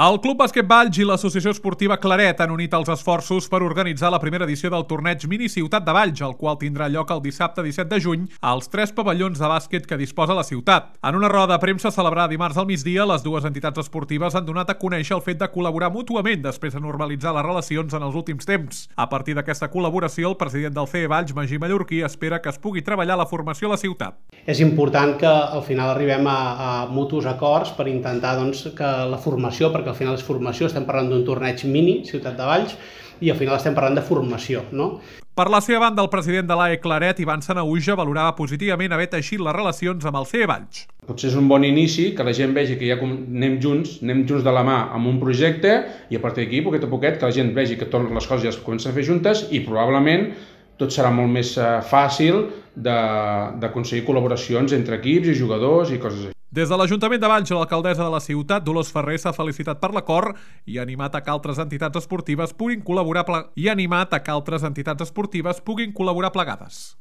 El Club Bàsquet Valls i l'Associació Esportiva Claret han unit els esforços per organitzar la primera edició del torneig Mini Ciutat de Valls, el qual tindrà lloc el dissabte 17 de juny als 3 pavellons de bàsquet que disposa la ciutat. En una roda de premsa celebrada dimarts al migdia, les dues entitats esportives han donat a conèixer el fet de col·laborar mútuament després de normalitzar les relacions en els últims temps. A partir d'aquesta col·laboració, el president del CE Valls, Magí Mallorquí, espera que es pugui treballar la formació a la ciutat. És important que al final arribem a mutus acords per intentar que la formació, perquè al final és formació, estem parlant d'un torneig mini, Ciutat de Valls, i al final estem parlant de formació, no? Per la seva banda, el president de l'AE Claret, Ivan Sanahuja, valorava positivament haver teixit les relacions amb el CE Valls. Potser és un bon inici, que la gent vegi que ja anem junts de la mà amb un projecte i a partir d'aquí, poquet a poquet, que la gent vegi que totes les coses ja es comencen a fer juntes i probablement tot serà molt més fàcil d'aconseguir col·laboracions entre equips i jugadors i coses així. Des de l'Ajuntament de Valls, l'alcaldessa de la ciutat, Dolors Ferrer, s'ha felicitat per l'acord i ha animat a que altres entitats esportives puguin col·laborar plegades.